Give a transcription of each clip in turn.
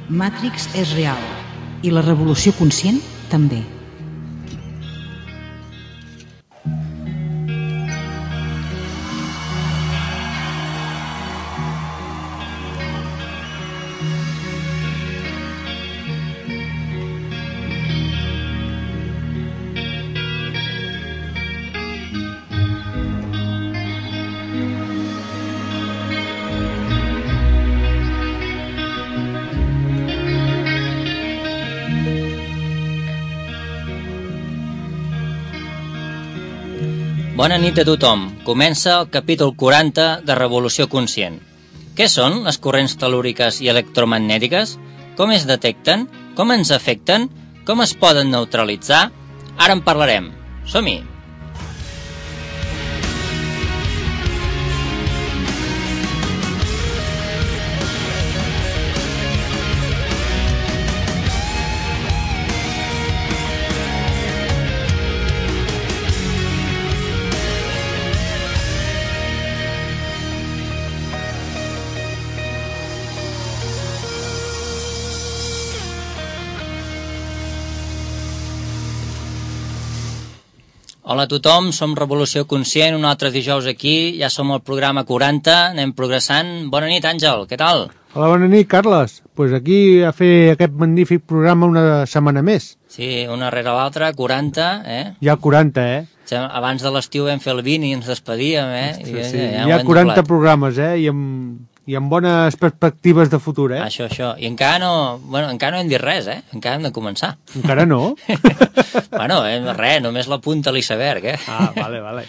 Matrix és real i la revolució conscient també. Bona nit a tothom. Comença el capítol 40 de Revolució Conscient. Què són les corrents tel·lúriques i electromagnètiques? Com es detecten? Com ens afecten? Com es poden neutralitzar? Ara en parlarem. Som-hi! Hola a tothom, som Revolució Conscient, un altre dijous aquí, ja som al programa 40, anem progressant. Bona nit, Àngel, què tal? Hola, bona nit, Carles. Pues aquí a fer aquest magnífic programa una setmana més. Sí, una rere l'altra, 40, Ja 40, Abans de l'estiu vam fer el 20 i ens despedíem, Ostres, sí. Ja 40 programes, I amb bones perspectives de futur, Això. I encara no hem dit res, Encara hem de començar. Encara no? Bueno, res, només la punta a l'iceberg, Ah, vale.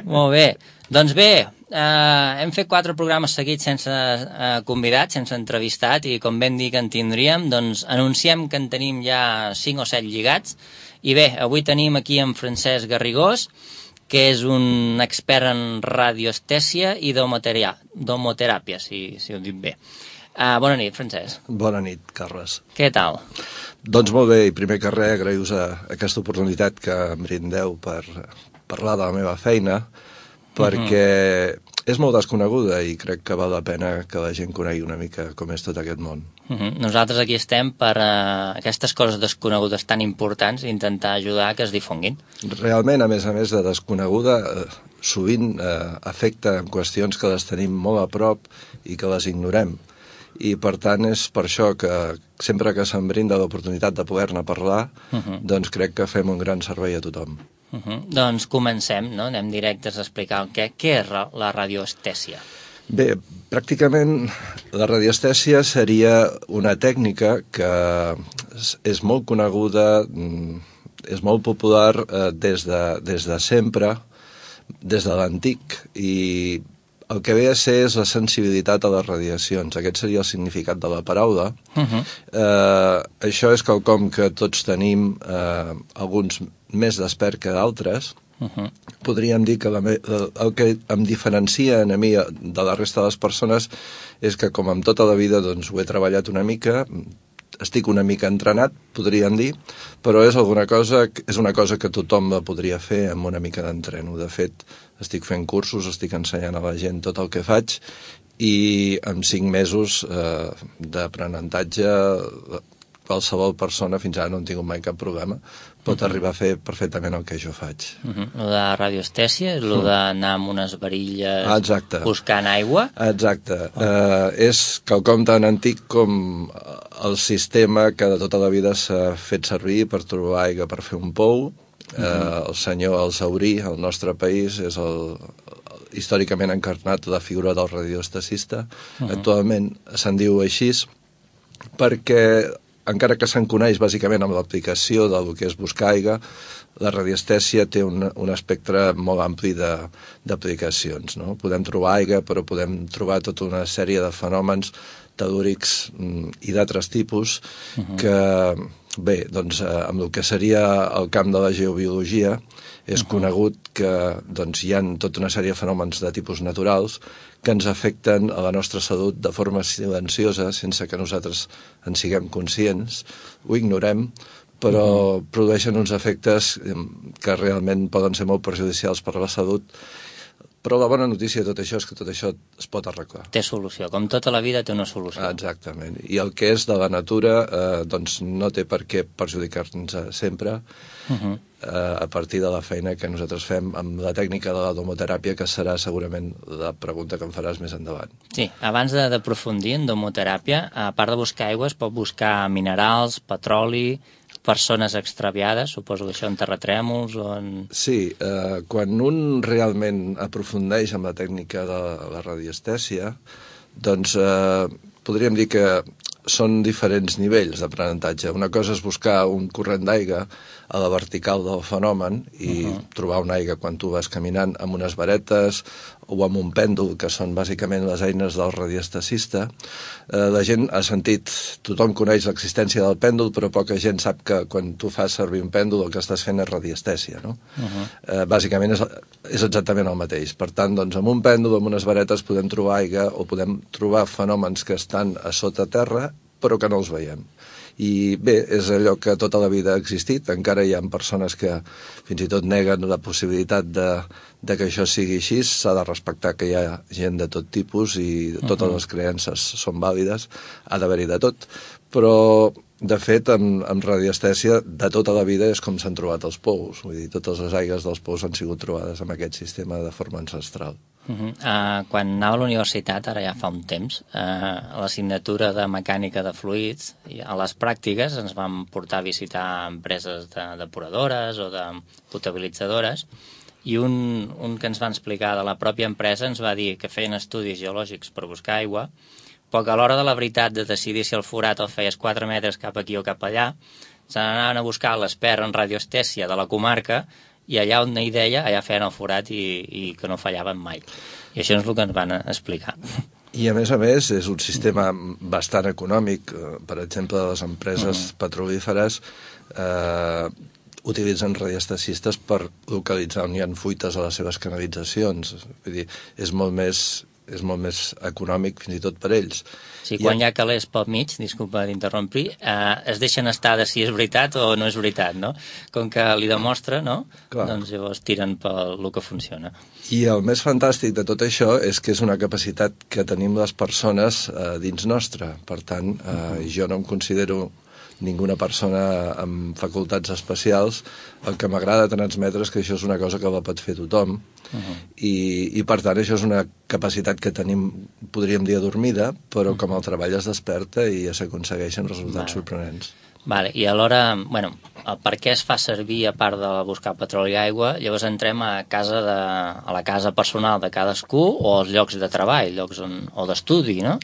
Molt bé. Doncs bé, hem fet 4 programes seguits sense convidats, sense entrevistat, i com vam dir que en tindríem, doncs anunciem que en tenim ja 5 o 7 lligats. I bé, avui tenim aquí en Francesc Garrigós, que és un expert en radioestèsia i domoteràpia, si ho dic bé. Bona nit, Francesc. Bona nit, Carles. Què tal? Doncs molt bé, i primer que res, agraïu-vos aquesta oportunitat que em brindeu per parlar de la meva feina, perquè és molt desconeguda i crec que val la pena que la gent conegui una mica com és tot aquest món. Nosaltres aquí estem per aquestes coses desconegudes tan importants i intentar ajudar que es difonguin. Realment, a més de desconeguda, sovint afecta en qüestions que les tenim molt a prop i que les ignorem. I per tant és per això que sempre que se'm brinda l'oportunitat de poder-ne parlar, doncs crec que fem un gran servei a tothom. Doncs comencem, no? Anem directes a explicar què és la radioestèsia. Bé, pràcticament la radioestèsia seria una tècnica que és molt coneguda, és molt popular des de sempre, des de l'antic, i el que ve a ser és la sensibilitat a les radiacions. Aquest seria el significat de la paraula. Això és quelcom que tots tenim, alguns més despert que d'altres. Podríem dir que el que em diferencia a mi de la resta de les persones és que, com en tota la vida, doncs, ho he treballat una mica, estic una mica entrenat, podríem dir, però és una cosa que tothom la podria fer amb una mica d'entreno. De fet, estic fent cursos, estic ensenyant a la gent tot el que faig i en 5 mesos d'aprenentatge qualsevol persona, fins ara no hem tingut mai cap problema, pot arribar a fer perfectament el que jo faig. Lo de radioestèsia és lo d'anar amb unes varilles buscant aigua? Exacte. És quelcom tan antic com el sistema que de tota la vida s'ha fet servir per trobar aigua per fer un pou. El senyor Alzaurí, al nostre país, és històricament encarnat la figura del radioestesista. Actualment se'n diu així perquè, encara que se'n coneix bàsicament amb l'aplicació del que és buscar aigua, la radioestèsia té un espectre molt ampli d'aplicacions, no? Podem trobar aigua, però podem trobar tota una sèrie de fenòmens telúrics i d'altres tipus que, bé, doncs amb el que seria el camp de la geobiologia és conegut que hi ha tota una sèrie de fenòmens de tipus naturals que ens afecten a la nostra salut de forma silenciosa, sense que nosaltres en siguem conscients, ho ignorem, però produeixen uns efectes que realment poden ser molt perjudicials per a la salut. Però la bona notícia de tot això és que tot això es pot arreglar. Té solució, com tota la vida té una solució. Exactament. I el que és de la natura doncs no té per què perjudicar-nos sempre a partir de la feina que nosaltres fem amb la tècnica de la domoteràpia, que serà segurament la pregunta que em faràs més endavant. Sí, abans d'aprofundir en domoteràpia, a part de buscar aigua, es pot buscar minerals, petroli, persones extraviades, suposo que això en terratrèmols o en... Sí, quan un realment aprofundeix en la tècnica de la radiestèsia, doncs podríem dir que són diferents nivells d'aprenentatge. Una cosa és buscar un corrent d'aigua a la vertical del fenomen i trobar una aigua quan tu vas caminant amb unes varetes o amb un pèndol, que són bàsicament les eines del radiestesista. La gent ha sentit, tothom coneix l'existència del pèndol, però poca gent sap que quan tu fas servir un pèndol el que estàs fent és radiestèsia, no? Bàsicament és exactament el mateix. Per tant, doncs, amb un pèndol, amb unes varetes, podem trobar aigua o podem trobar fenòmens que estan a sota terra, però que no els veiem. I bé, és allò que tota la vida ha existit. Encara hi ha persones que fins i tot neguen la possibilitat de que això sigui així. S'ha de respectar que hi ha gent de tot tipus i totes les creences són vàlides, ha d'haver-hi de tot, però de fet amb radiestèsia de tota la vida és com s'han trobat els pous. Vull dir, totes les aigües dels pous han sigut trobades amb aquest sistema de forma ancestral. Quan anava a la universitat, ara ja fa un temps, a l'assignatura de mecànica de fluids, a les pràctiques ens vam portar a visitar empreses depuradores o de potabilitzadores, i un que ens va explicar de la pròpia empresa ens va dir que feien estudis geològics per buscar aigua, però que a l'hora de la veritat de decidir si el forat el feies 4 metres cap aquí o cap allà, se n'anaven a buscar l'expert en radioestèsia de la comarca i allà on hi deia, allà feien el forat i que no fallaven mai. I això és el que ens van explicar. I a més, és un sistema bastant econòmic. Per exemple, les empreses petrolíferes utilitzen radiestesistes per localitzar on hi ha fuites a les seves canalitzacions. Vull dir, és molt més econòmic fins i tot per ells. Sí, quan hi ha calés pel mig, disculpa d'interrompir, es deixen estar de si és veritat o no és veritat, no? Com que li demostra, no? Clar. Doncs llavors tiren pel que funciona. I el més fantàstic de tot això és que és una capacitat que tenim les persones dins nostra. Per tant, jo no em considero ninguna persona amb facultats especials. El que m'agrada transmetre és que això és una cosa que la pot fer tothom i per tant això és una capacitat que tenim, podríem dir, adormida, però com el treball es desperta i s'aconsegueixen resultats sorprenents. Vale. I alhora, bueno, el per què es fa servir a part de buscar petroli i aigua, llavors entrem a la casa personal de cadascú o als llocs de treball, o d'estudi, no?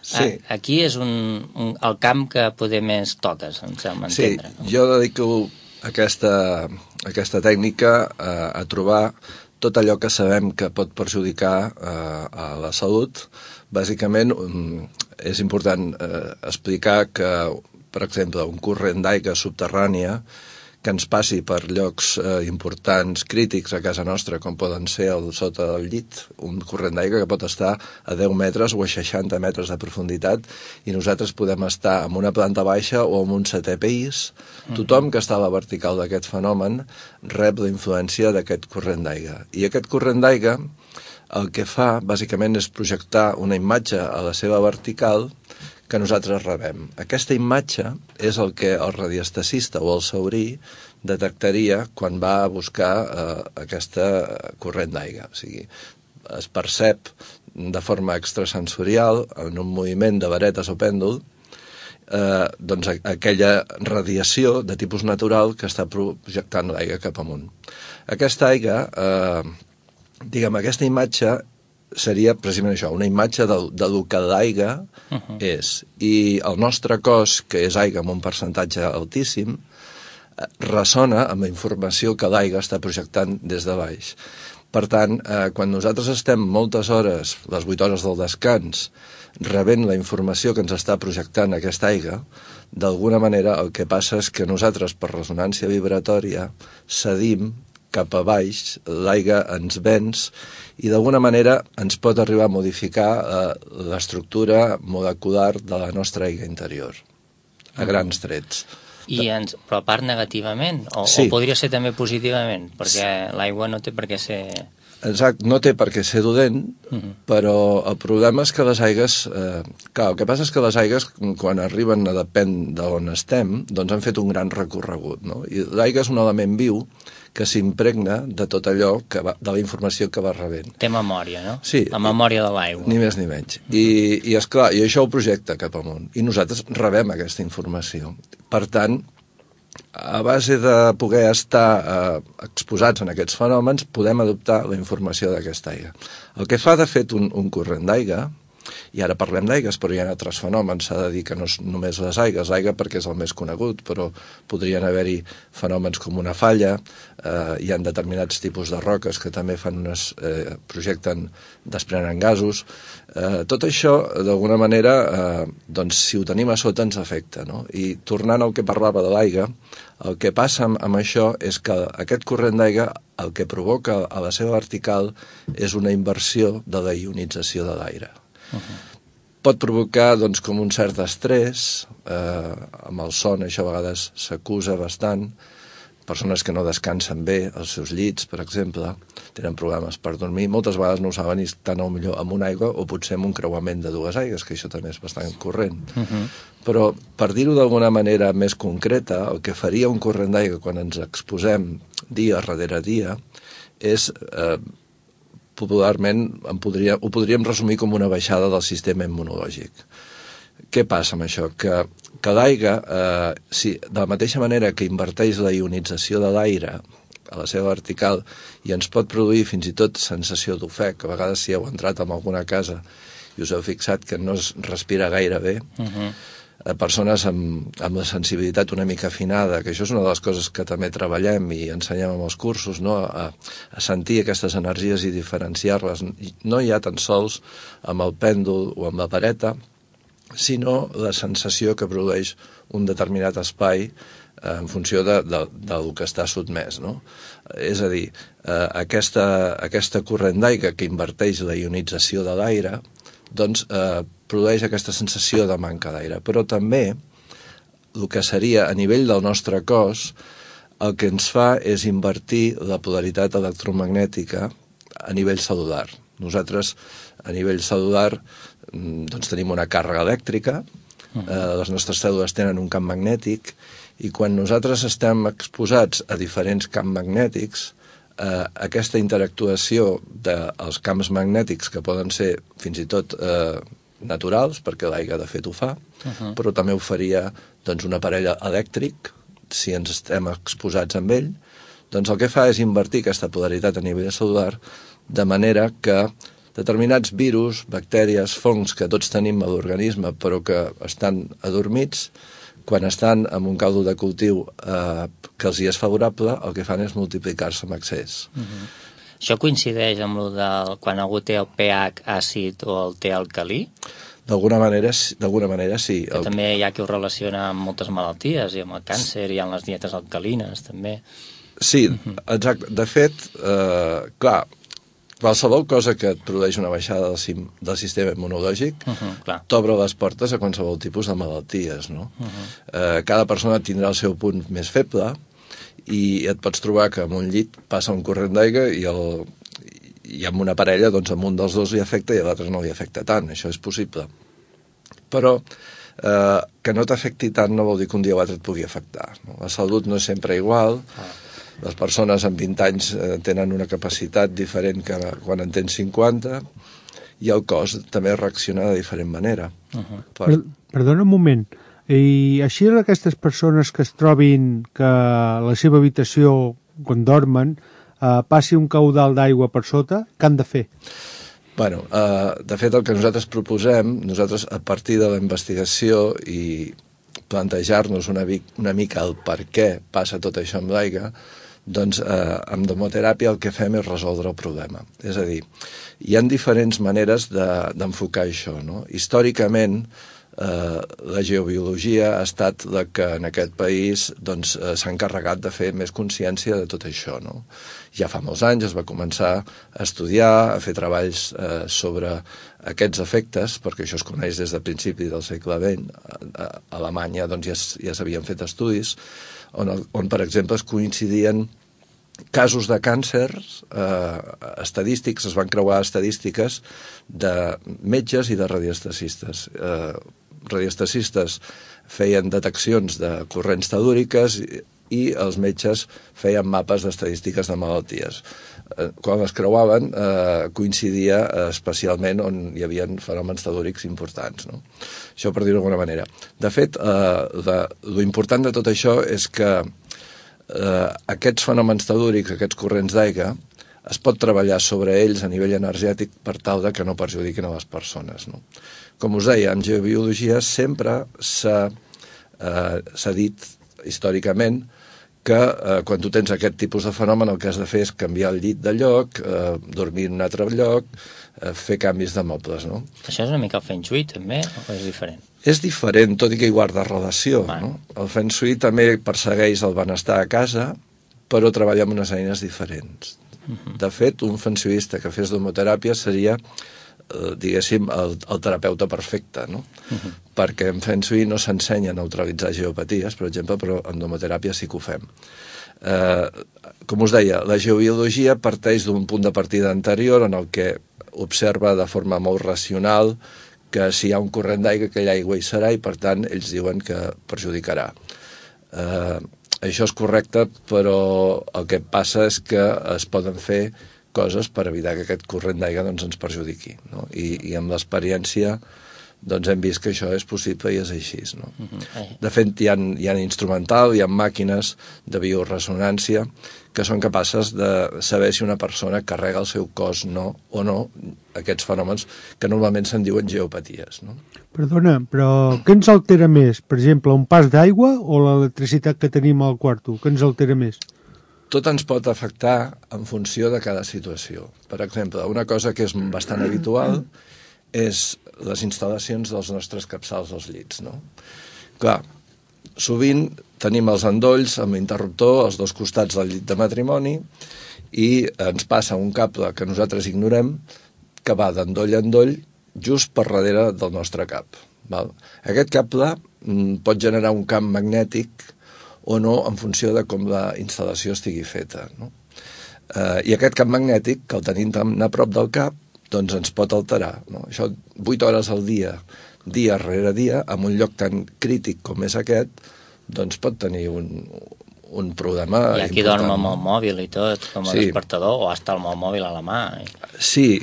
Sí. Aquí és el camp que poder més toques, em sembla entendre. Sí, jo dedico aquesta tècnica a trobar tot allò que sabem que pot perjudicar a la salut. Bàsicament, és important explicar que, per exemple, un corrent d'aigua subterrània que ens passi per llocs importants, crítics a casa nostra, com poden ser sota del llit, un corrent d'aigua que pot estar a 10 metres o a 60 metres de profunditat, i nosaltres podem estar en una planta baixa o en un 7è pis. Tothom que està a la vertical d'aquest fenomen rep la influència d'aquest corrent d'aigua. I aquest corrent d'aigua el que fa, bàsicament, és projectar una imatge a la seva vertical que nosaltres rebem. Aquesta imatge és el que el radiestesista o el saurí detectaria quan va a buscar aquesta corrent d'aigua. O sigui, es percep de forma extrasensorial, en un moviment de varetes o pèndol, doncs aquella radiació de tipus natural que està projectant l'aigua cap amunt. Aquesta aigua, aquesta imatge seria precisament això, una imatge del que l'aigua és. I el nostre cos, que és aigua amb un percentatge altíssim, ressona amb la informació que l'aigua està projectant des de baix. Per tant, quan nosaltres estem moltes hores, les 8 hores del descans, rebent la informació que ens està projectant aquesta aigua, d'alguna manera el que passa és que nosaltres, per ressonància vibratòria, cedim cap a baix, l'aigua ens venç i d'alguna manera ens pot arribar a modificar l'estructura molecular de la nostra aigua interior, a grans trets. Però a part negativament? O podria ser també positivament? Perquè l'aigua no té per què ser... Exacte, no té per què ser dolent, però el problema és que les aigues... Clar, el que passa és que les aigues, quan arriben a depèn d'on estem, doncs han fet un gran recorregut, no? I l'aigua és un element viu que s'impregna de tot allò, de la informació que va rebent. Té memòria, no? Sí. La memòria de l'aigua. Ni més ni menys. I esclar, i això ho projecta cap amunt. I nosaltres rebem aquesta informació. Per tant, a base de poder estar exposats en aquests fenòmens, podem adoptar la informació d'aquesta aigua. El que fa, de fet, un corrent d'aigua, i ara parlem d'aigues, però hi ha altres fenòmens, s'ha de dir que no és només les aigues, l'aigua perquè és el més conegut, però podrien haver-hi fenòmens com una falla, hi ha determinats tipus de roques que també desprenen gasos. Tot això, d'alguna manera, doncs, si ho tenim a sota ens afecta, no? I tornant al que parlava de l'aigua, el que passa amb això és que aquest corrent d'aigua el que provoca a la seva vertical és una inversió de la ionització de l'aire. Pot provocar doncs, com un cert estrès, amb el son això a vegades s'acusa bastant, persones que no descansen bé als seus llits, per exemple, tenen problemes per dormir, moltes vegades no ho saben i estan millor amb una aigua o potser amb un creuament de dues aigues, que això també és bastant corrent. Però, per dir-ho d'alguna manera més concreta, el que faria un corrent d'aigua quan ens exposem dia darrere dia és... popularment ho podríem resumir com una baixada del sistema immunològic. Què passa amb això? Que l'aigua, de la mateixa manera que inverteix la ionització de l'aire a la seva vertical i ens pot produir fins i tot sensació d'ofec, que a vegades si heu entrat en alguna casa i us heu fixat que no es respira gaire bé, persones amb la sensibilitat una mica afinada, que això és una de les coses que també treballem i ensenyem amb els cursos, no? A sentir aquestes energies i diferenciar-les. No hi ha tan sols amb el pèndol o amb la vareta, sinó la sensació que produeix un determinat espai en funció del que està sotmès, no? És a dir, aquesta corrent d'aigua que inverteix la ionització de l'aire, doncs produeix aquesta sensació de manca d'aire. Però també el que seria a nivell del nostre cos, el que ens fa és invertir la polaritat electromagnètica a nivell celular. Nosaltres, a nivell celular, doncs tenim una càrrega elèctrica, les nostres cèl·lules tenen un camp magnètic, i quan nosaltres estem exposats a diferents camps magnètics, aquesta interactuació dels camps magnètics, que poden ser fins i tot naturals, perquè l'aigua de fet ho fa, però també ho faria doncs, un aparell elèctric, si ens estem exposats amb ell, doncs el que fa és invertir aquesta polaritat a nivell celular, de manera que determinats virus, bactèries, fongs que tots tenim a l'organisme però que estan adormits, quan estan en un caldo de cultiu que els hi és favorable, el que fan és multiplicar-se amb excés. Això coincideix amb el de quan algú té el pH àcid o el té alcalí? D'alguna manera sí. Que també hi ha qui ho relaciona amb moltes malalties, i amb el càncer, i amb les dietes alcalines, també. Sí, exacte. De fet, clar, qualsevol cosa que et produeix una baixada del sistema immunològic t'obre les portes a qualsevol tipus de malalties, no? Cada persona tindrà el seu punt més feble i et pots trobar que en un llit passa un corrent d'aigua i amb una parella, doncs amb un dels dos li afecta i a l'altre no li afecta tant, això és possible. Però que no t'afecti tant no vol dir que un dia o l'altre et pugui afectar, no? La salut no és sempre igual. Les persones amb 20 anys tenen una capacitat diferent que quan en tens 50 i el cos també reacciona de diferent manera. Perdona un moment. I així aquestes persones que es trobin que a la seva habitació, quan dormen, passi un caudal d'aigua per sota, què han de fer? Bueno, de fet el que nosaltres proposem, nosaltres a partir de la investigació i plantejar-nos una mica el per què passa tot això amb l'aigua, doncs amb domoteràpia el que fem és resoldre el problema. És a dir, hi ha diferents maneres d'enfocar això, no? Històricament, la geobiologia ha estat la que en aquest país s'ha encarregat de fer més consciència de tot això, no? Ja fa molts anys es va començar a estudiar, a fer treballs sobre aquests efectes, perquè això es coneix des del principi del segle XX. A Alemanya ja s'havien fet estudis on, per exemple, es coincidien casos de càncers estadístics, es van creuar estadístiques de metges i de radiestecistes. Radiestecistes feien deteccions de corrents telúriques i els metges feien mapes d'estadístiques de malalties. Quan es creuaven coincidia especialment on hi havia fenòmens telúrics importants, no? Això per dir-ho d'alguna manera. De fet, lo important de tot això és que aquests fenòmens telúrics, aquests corrents d'aigua, es pot treballar sobre ells a nivell energètic per tal de que no perjudiquin a les persones, no? Com us deia, en geobiologia sempre s'ha dit històricament que quan tu tens aquest tipus de fenomen el que has de fer és canviar el llit de lloc, dormir en un altre lloc, fer canvis de mobles, no? Això és una mica el Feng Shui, també, o és diferent? És diferent, tot i que hi guarda relació, no? El Feng Shui també persegueix el benestar a casa, però treballa amb unes eines diferents. De fet, un Feng Shuista que fes domoteràpia seria, diguéssim, el terapeuta perfecte, no? Perquè en Feng Shui no s'ensenya a neutralitzar geopaties, per exemple, però en domoteràpia sí que ho fem. Com us deia, la geobiologia parteix d'un punt de partida anterior en el que observa de forma molt racional que si hi ha un corrent d'aigua, aquella aigua hi serà i, per tant, ells diuen que perjudicarà. Això és correcte, però el que passa és que es poden fer coses per evitar que aquest corrent d'aigua doncs, ens perjudiqui, no? I amb l'experiència doncs, hem vist que això és possible i és així, no? De fet, hi ha instrumental, hi ha màquines de bioresonància que són capaces de saber si una persona carrega el seu cos o no aquests fenòmens que normalment se'n diuen geopaties, no? Perdona, però què ens altera més? Per exemple, un pas d'aigua o l'electricitat que tenim al quarto? Què ens altera més? Tot ens pot afectar en funció de cada situació. Per exemple, una cosa que és bastant habitual és les instal·lacions dels nostres capçals als llits, no? Clar, sovint tenim els endolls amb l'interruptor als dos costats del llit de matrimoni i ens passa un cable que nosaltres ignorem que va d'endoll a endoll just per darrere del nostre cap, val? Aquest cable pot generar un camp magnètic o no en funció de com la instal·lació estigui feta, no? I aquest camp magnètic, que el tenim tan a prop del cap, doncs ens pot alterar, no? Això 8 hores al dia, dia rere dia, en un lloc tan crític com és aquest, doncs pot tenir un problema important. Hi ha qui dorm amb el mòbil i tot, com a despertador, o hasta amb el mòbil a la mà. Sí,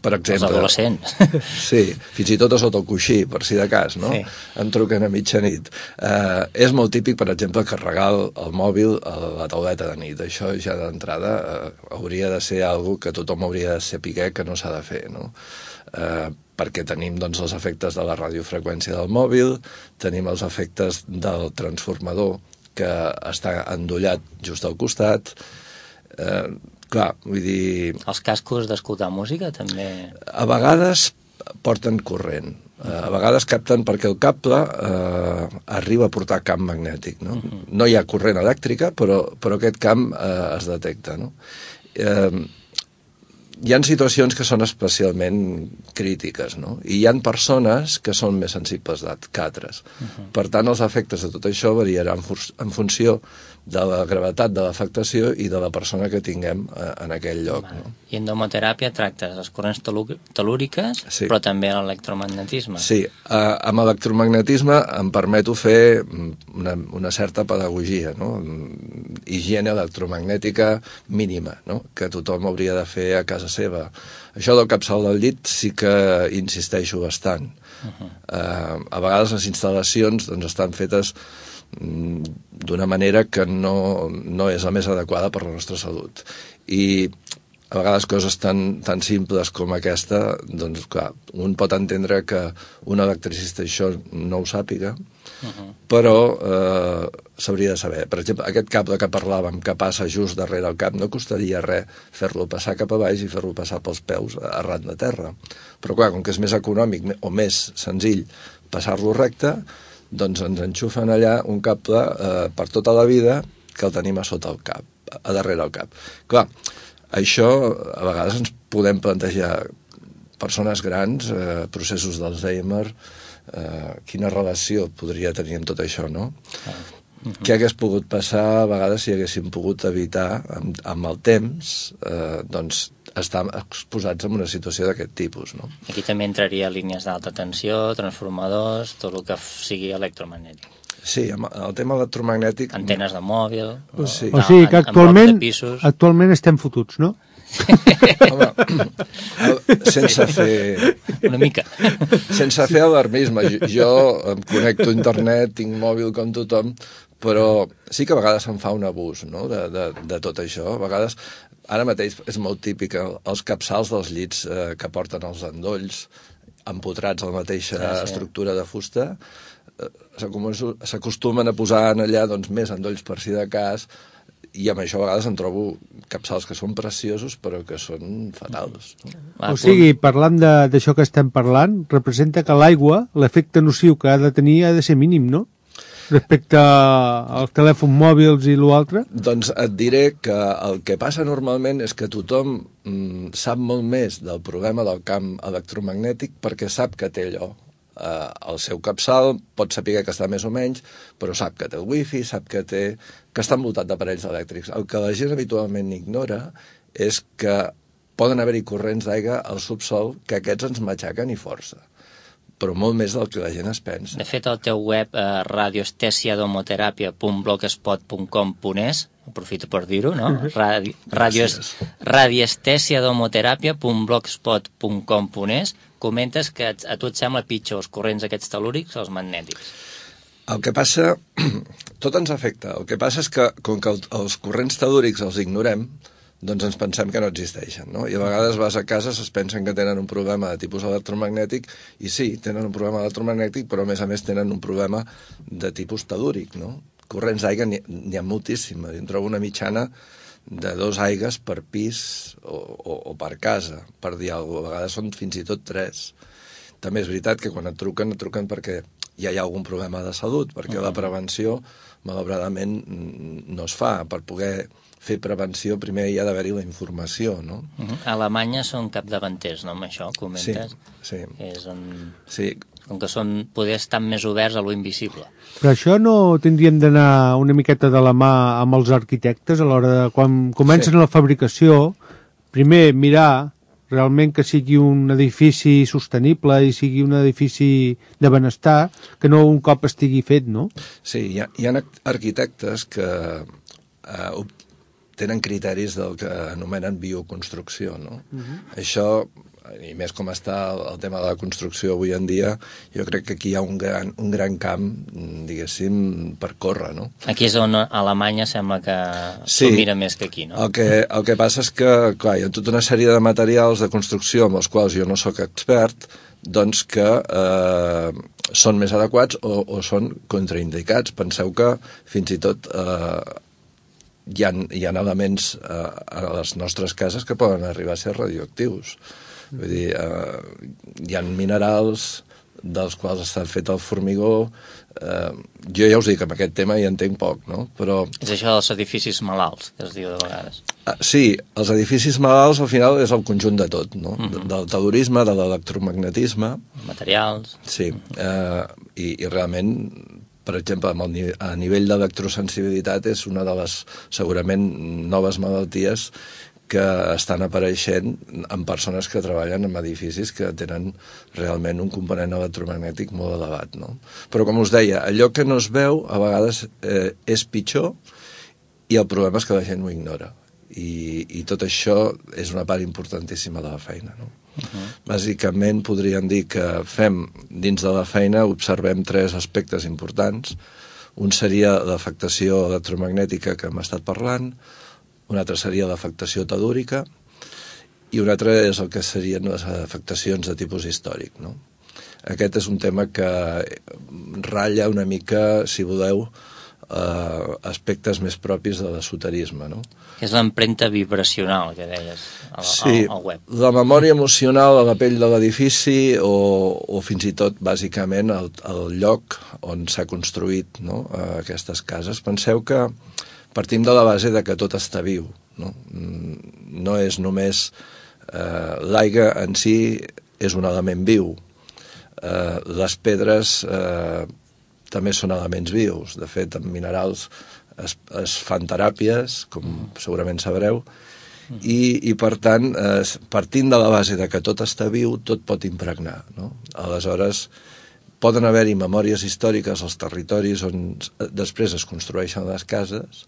per exemple... Els adolescents. Sí, fins i tot a sota el coixí, per si de cas, no? Sí. Em truquen a mitjanit. És molt típic, per exemple, carregar el mòbil a la tauleta de nit. Això ja d'entrada hauria de ser algo que tothom hauria de saber que no s'ha de fer, no? Perquè tenim doncs, els efectes de la radiofreqüència del mòbil, tenim els efectes del transformador que està endollat just al costat. Clar, vull dir... Els cascos d'escoltar música també... A vegades porten corrent, a vegades capten perquè el cable arriba a portar camp magnètic, no? No hi ha corrent elèctrica, però aquest camp es detecta, no? Hi ha situacions que són especialment crítiques, no? I hi ha persones que són més sensibles que altres. Per tant, els efectes de tot això variaran en funció de la gravetat de l'afectació i de la persona que tinguem en aquell lloc. No? I en domoteràpia tractes les corrents telúriques, sí, però també l'electromagnetisme. Sí, amb electromagnetisme em permeto fer una certa pedagogia, no? Higiene electromagnètica mínima, no? Que tothom hauria de fer a casa seva. Això del capçal del llit sí que insisteixo bastant. A vegades les instal·lacions doncs, estan fetes d'una manera que no és la més adequada per la nostra salut. I a vegades coses tan simples com aquesta, doncs clar, un pot entendre que un electricista això no ho sàpiga, però s'hauria de saber. Per exemple, aquest cable que parlàvem, que passa just darrere el cap, no costaria res fer-lo passar cap a baix i fer-lo passar pels peus arran de terra. Però clar, com que és més econòmic o més senzill passar-lo recte, doncs ens enxufen allà un cable per tota la vida que el tenim a sota el cap, a darrere el cap. Clar, això a vegades ens podem plantejar persones grans, processos d'Alzheimer, quina relació podria tenir amb tot això, no? Què hagués pogut passar a vegades si haguéssim pogut evitar amb el temps doncs estar exposats en una situació d'aquest tipus, no? Aquí també entraria línies d'alta tensió, transformadors, tot el que sigui electromagnètic. Sí, el tema electromagnètic... Antenes de mòbil... O sigui que actualment estem fotuts, no? Home, sense fer... Una mica. Sense fer alarmisme. Jo em connecto a internet, tinc mòbil com tothom, però sí que a vegades se'n fa un abús, no?, de tot això. A vegades, ara mateix és molt típic, els capçals dels llits que porten els endolls, empotrats a la mateixa estructura de fusta, s'acostumen a posar allà doncs, més endolls per si de cas, i amb això a vegades en trobo capçals que són preciosos però que són fatals. O sigui, parlant d'això que estem parlant, representa que l'aigua, l'efecte nociu que ha de tenir ha de ser mínim, no? Respecte als telèfons mòbils i l'altre? Doncs et diré que el que passa normalment és que tothom sap molt més del problema del camp electromagnètic perquè sap que té allò. El seu capçal pot saber que està més o menys, però sap que té el wifi, sap que està envoltat d'aparells elèctrics. El que la gent habitualment ignora és que poden haver-hi corrents d'aigua al subsol que aquests ens matxaquen i força, però molt més del que la gent es pensa. De fet, al teu web radioestesiadomoterapia.blogspot.com.es, aprofito per dir-ho, no? Radioestesiadomoterapia.blogspot.com.es, comentes que a tu et sembla pitjor els corrents aquests telúrics o els magnètics. El que passa, tot ens afecta. El que passa és que, com que els corrents telúrics els ignorem, doncs ens pensem que no existeixen, no? I a vegades vas a casa, es pensen que tenen un problema de tipus electromagnètic, i sí, tenen un problema electromagnètic, però a més tenen un problema de tipus telúric, no? Corrents d'aigua n'hi ha moltíssimes. En trobo una mitjana de 2 aigues per pis o per casa, per dir alguna cosa. A vegades són fins i tot 3. També és veritat que quan et truquen perquè ja hi ha algun problema de salut, perquè la prevenció, malauradament, no es fa. Per poder fer prevenció primer hi ha d'haver-hi la informació, no? A Alemanya són capdavanters, no? Amb això, comentes? Sí. Sí. Com que poder estar més oberts a lo invisible. Però això no tindríem d'anar una miqueta de la mà amb els arquitectes a l'hora de, quan comencen la fabricació, primer mirar realment que sigui un edifici sostenible i sigui un edifici de benestar, que no un cop estigui fet, no? Sí, hi ha arquitectes que tenen criteris del que anomenen bioconstrucció, no? Això, i més com està el tema de la construcció avui en dia, jo crec que aquí hi ha un gran camp, diguéssim, per córrer, no? Aquí és on a Alemanya sembla que s'ho mira més que aquí, no? El que passa és que, clar, hi ha tota una sèrie de materials de construcció amb els quals jo no sóc expert, doncs que són més adequats o són contraindicats. Penseu que fins i tot hi ha elements a les nostres cases que poden arribar a ser radioactius. Vull dir, hi ha minerals dels quals està fet el formigó. Jo ja us dic, amb aquest tema hi entenc poc, no? Però... És això dels edificis malalts, que es diu de vegades. Sí, els edificis malalts al final és el conjunt de tot, no? Del telurisme, de l'electromagnetisme. Materials. Sí, i realment, per exemple, a nivell d'electrosensibilitat és una de les, segurament, noves malalties que estan apareixent en persones que treballen en edificis que tenen realment un component electromagnètic molt elevat, no? Però, com us deia, allò que no es veu a vegades és pitjor i el problema és que la gent ho ignora. I tot això és una part importantíssima de la feina, no? Bàsicament podríem dir que fem, dins de la feina, observem 3 aspectes importants. Un seria l'afectació electromagnètica que hem estat parlant, un altre seria l'afectació telúrica i un altre és el que serien les afectacions de tipus històric, no? Aquest és un tema que ratlla una mica, si voleu, aspectes més propis de l'esoterisme, no? És l'empremta vibracional que deies al web. Sí, la memòria emocional a la pell de l'edifici o fins i tot, bàsicament, el lloc on s'ha construït, no? Aquestes cases. Penseu que partim de la base de que tot està viu, no? No és només... l'aigua en si és un element viu. Les pedres també són elements vius. De fet, en minerals es fan teràpies, com segurament sabreu, i per tant, partint de la base de que tot està viu, tot pot impregnar, no? Aleshores, poden haver-hi memòries històriques als territoris on després es construeixen les cases.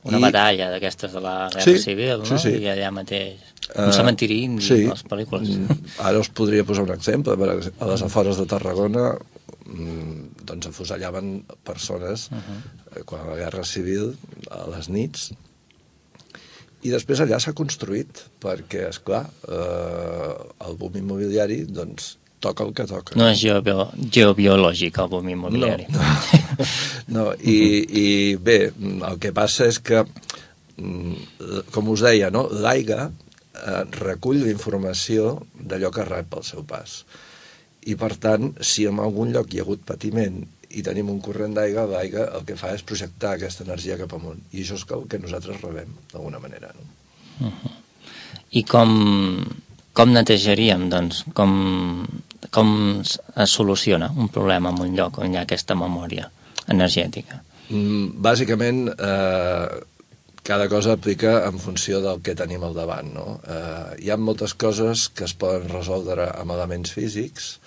Una batalla d'aquestes de la Guerra Civil, no? Sí. I allà mateix, un cementiri indi, les pel·lícules. Ara us podria posar un exemple. A les afores de Tarragona doncs afusellaven persones quan la Guerra Civil, a les nits, i després allà s'ha construït, perquè, esclar, el boom immobiliari, doncs, toca el que toca. No és geobiològic el boom immobiliari. No. I bé, el que passa és que, com us deia, no? L'aigua recull la informació d'allò que rep al seu pas. I, per tant, si en algun lloc hi ha hagut patiment i tenim un corrent d'aigua, l'aigua el que fa és projectar aquesta energia cap amunt. I això és el que nosaltres rebem, d'alguna manera. No? I com netejaríem, doncs? Com es soluciona un problema en un lloc on hi ha aquesta memòria energètica? Bàsicament, cada cosa aplica en funció del que tenim al davant, no? Hi ha moltes coses que es poden resoldre amb elements físics,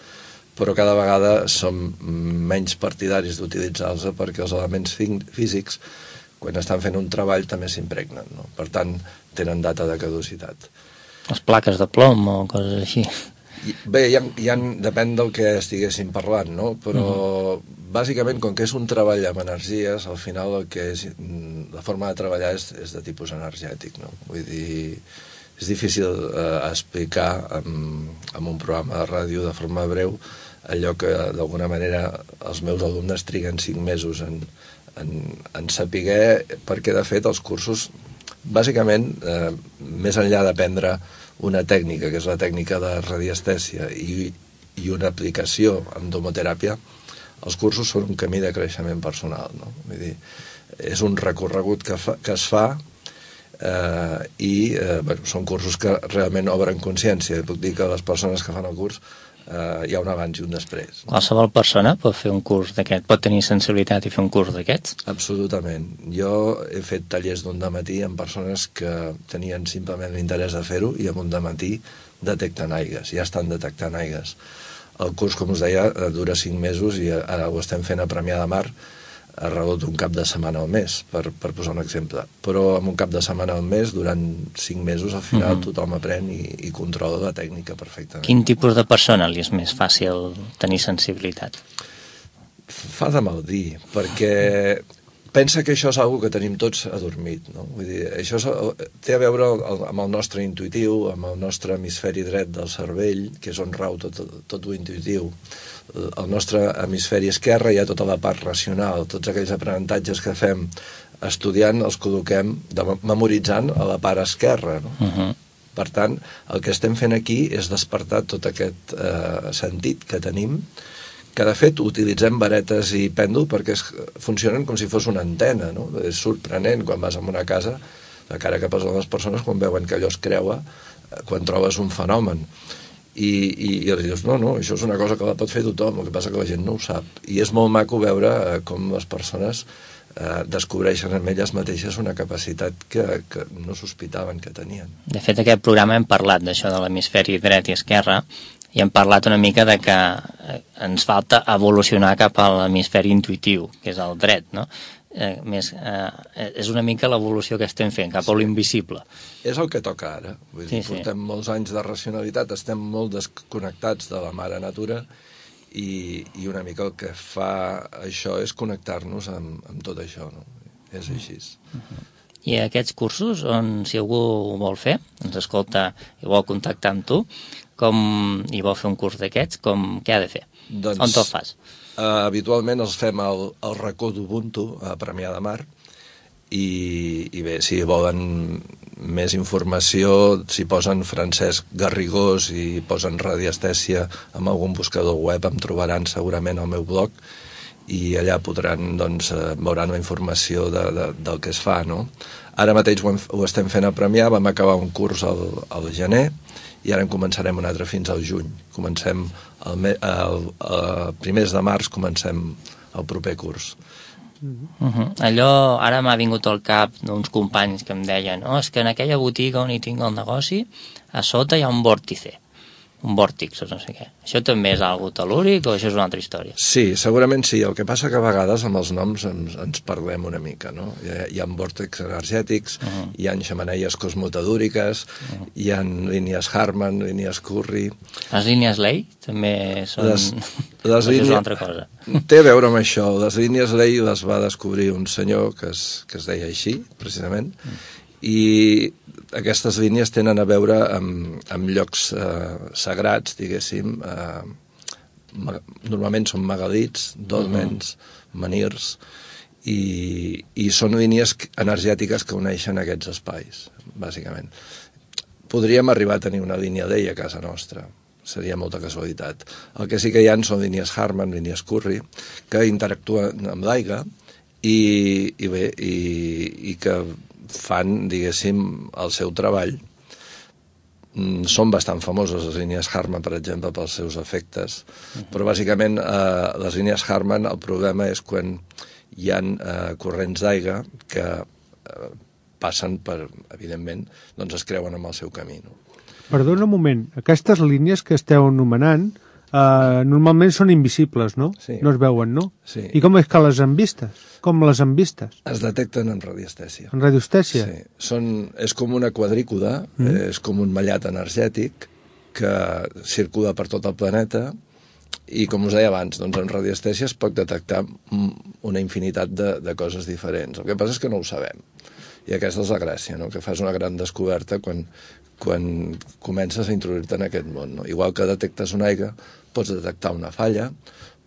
però cada vegada som menys partidaris d'utilitzar-los perquè els elements físics, quan estan fent un treball, també s'impregnen, no? Per tant, tenen data de caducitat. Les plaques de plom o coses així. Bé, depèn del que estiguéssim parlant, no? Però bàsicament, com que és un treball amb energies, al final la forma de treballar és de tipus energètic, no? Vull dir, és difícil explicar en un programa de ràdio de forma breu allò que d'alguna manera els meus alumnes triguen 5 mesos en saber, perquè de fet els cursos, bàsicament, més enllà d'aprendre una tècnica, que és la tècnica de radiestèsia, i una aplicació en domoteràpia, els cursos són un camí de creixement personal, no? Vull dir, és un recorregut que es fa i són cursos que realment obren consciència. Puc dir que les persones que fan el curs hi ha un abans i un després. Qualsevol persona pot fer un curs d'aquest, pot tenir sensibilitat i fer un curs d'aquests? Absolutament. Jo he fet tallers d'un dematí amb persones que tenien simplement l'interès de fer-ho i amb un dematí detecten aigues, ja estan detectant aigues. El curs, com us deia, dura 5 mesos i ara ho estem fent a Premià de Mar a raó d'un cap de setmana al mes, per posar un exemple. Però amb un cap de setmana al mes, durant 5 mesos, al final tothom aprèn i controla la tècnica perfectament. Quin tipus de persona li és més fàcil tenir sensibilitat? Fa de mal dir, perquè pensa que això és una que tenim tots adormit, no? Vull dir, això té a veure amb el nostre intuïtiu, amb el nostre hemisferi dret del cervell, que és on rau tot lo intuïtiu. Al nostre hemisferi esquerre hi ha tota la part racional, tots aquells aprenentatges que fem estudiant els col·loquem memoritzant a la part esquerra, no? Per tant, el que estem fent aquí és despertar tot aquest sentit que tenim, que de fet utilitzem varetes i pèndol perquè funcionen com si fos una antena, no? És sorprenent quan vas a una casa, la cara que posen les persones quan veuen que allò es creua, quan trobes un fenomen. I els dius, no, això és una cosa que la pot fer tothom, el que passa que la gent no ho sap. I és molt maco veure com les persones descobreixen en elles mateixes una capacitat que no sospitaven que tenien. De fet, aquest programa hem parlat d'això de l'hemisferi dret i esquerre, i hem parlat una mica de que ens falta evolucionar cap a l'hemisferi intuïtiu, que és el dret, no? És una mica l'evolució que estem fent, cap a l'invisible. És el que toca ara. Vull dir, portem molts anys de racionalitat, estem molt desconnectats de la mare natura i una mica el que fa això és connectar-nos amb tot això, no? És així. I aquests cursos, si algú ho vol fer, ens escolta i vol contactar amb tu, i vol fer un curs d'aquests, què ha de fer? On te'l fas? Habitualment els fem al racó d'Ubuntu, a Premià de Mar, i bé, si volen més informació, si posen Francesc Garrigós i posen radiestèsia amb algun buscador web, em trobaran segurament al meu blog, i allà podran, doncs, veuran la informació del que es fa, no? Ara mateix ho estem fent a Premià, vam acabar un curs al gener, i ara en començarem un altre fins al juny. Comencem primers de març, comencem el proper curs. Allò, ara m'ha vingut al cap d'uns companys que em deien és que en aquella botiga on hi tinc el negoci a sota hi ha un vòrtice, un vòrtix o no sé què. Això també és algo tel·lúric o això és una altra història? Sí, segurament sí. El que passa que a vegades amb els noms ens perdem una mica, no? Hi ha vòrtex energètics, hi ha xemeneies cosmotadúriques, hi ha línies Harman, línies Curry... Les línies Ley també són... Les línies... és una altra cosa. Té a veure amb això. Les línies Ley les va descobrir un senyor que es deia així, precisament, i aquestes línies tenen a veure amb llocs sagrats, diguéssim, normalment són megalits, dòlmens, menirs, i són línies energètiques que uneixen aquests espais, bàsicament. Podríem arribar a tenir una línia d'ella a casa nostra, seria molta casualitat. El que sí que hi ha són línies Harman, línies Curry, que interactuen amb l'aigua i que fan, diguéssim, el seu treball. Són bastant famoses les línies Harman, per exemple, pels seus efectes, però bàsicament les línies Harman, el problema és quan hi ha corrents d'aigua que passen per, evidentment, doncs es creuen amb el seu camí. Perdona un moment, aquestes línies que esteu anomenant normalment són invisibles, no? Sí. No es veuen, no? Sí. I com és que les han vistes? Com les han vistes? Es detecten en radiestèsia. En radiostèsia? Sí. És com una quadrícuda, és com un mallat energètic que circula per tot el planeta i, com us deia abans, doncs en radiestèsia es pot detectar una infinitat de coses diferents. El que passa és que no ho sabem. I aquesta és la gràcia, no? Que fas una gran descoberta quan comences a introduir-te en aquest món. No? Igual que detectes una aigua, pots detectar una falla,